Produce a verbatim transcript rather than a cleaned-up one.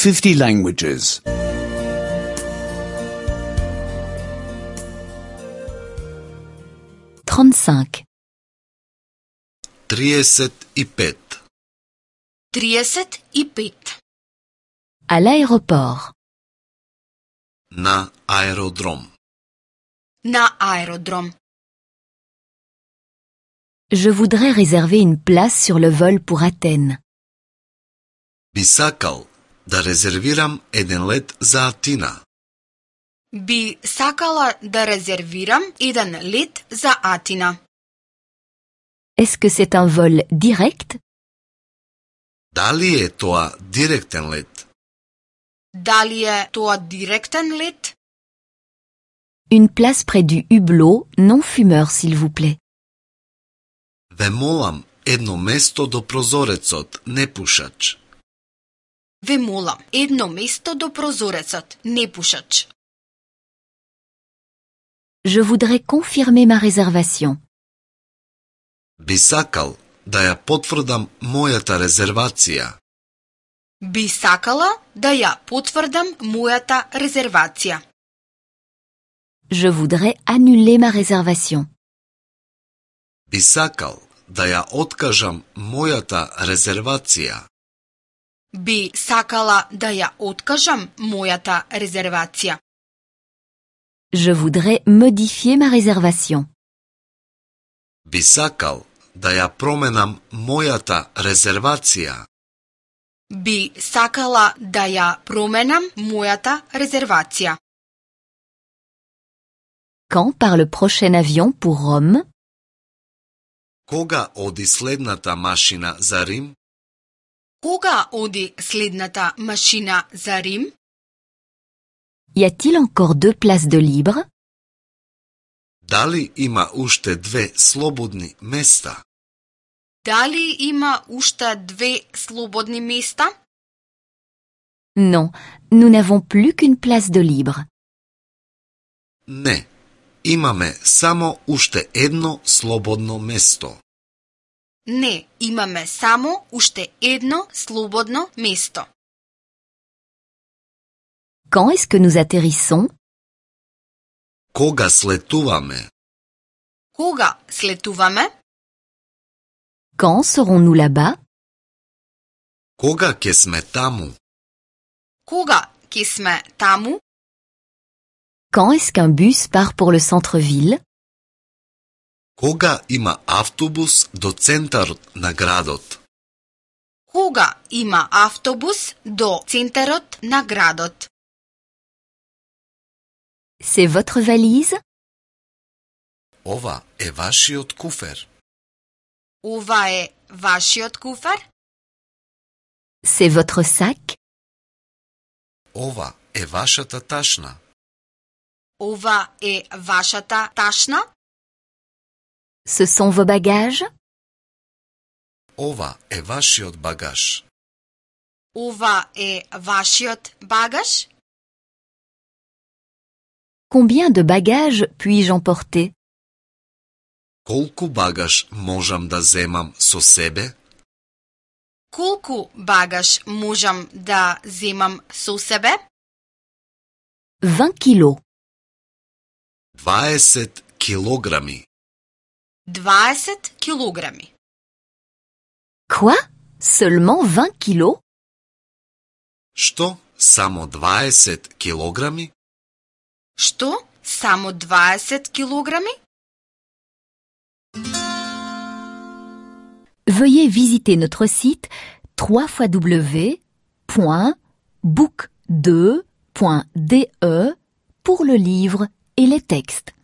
fifty languages. trente-cinq. триесет и пет. триесет и пет. À l'aéroport. На аеродром. На аеродром. Je voudrais réserver une place sur le vol pour Athènes. Би сакал да резервирам еден лет за Атина. Би сакала да резервирам еден лет за Атина. Est-ce que c'est un vol direct? Дали е тоа директен лет? Дали е тоа директен лет? Une place près du hublot, non fumeur, s'il vous plaît. Ве молам едно место до прозорецот, непушач. Ве молам едно место до прозорецот, непушач. Je voudrais confirmer ma réservation. Би сакал да ја потврдам мојата резервација. Би сакала да ја потврдам мојата резервација. Je voudrais annuler ma réservation. Би сакал да ја откажам мојата резервација. Би сакала да ја откажам мојата резервација. Je voudrais modifier ma réservation. Би сакал да ја променам мојата резервација. Би сакала да ја променам мојата резервација. Quand part le prochain avion pour Rome? Кога оди следната машина за Рим? Кога оди следната машина за Рим? Y a-t-il encore deux places de libre? Дали има уште две слободни места? Дали има уште две слободни места? Non, nous n'avons plus qu'une place de libre. Не, имаме само уште едно слободно место. Не, имаме само уште едно слободно место. Quand est-ce que nous atterrissons? Кога слетуваме? Кога слетуваме? Quand serons-nous là-bas? Кога ќе сме таму? Кога ќе сме таму? Quand est-ce qu'un bus part pour le centre-ville? Кога има автобус до центарот на градот? Кога има автобус до центарот на градот? C'est votre valise? Ова е вашиот куфер. Ова е вашиот куфер? C'est votre sac? Ова е вашата ташна. Ова е вашата ташна? Ce sont vos bagages? Ова е вашиот багаж. Ова е вашиот багаж? Combien de bagages puis-je emporter? Колку багаж можам да земам со себе? Колку багаж можам да земам со себе? vingt kilos. дваесет килограми. дваесет килограми. Quoi? Seulement vingt kilos? Што? Само дваесет килограми? Што? Само дваесет килограми? Veuillez visiter notre site w w w point book deux point d e pour le livre et les textes.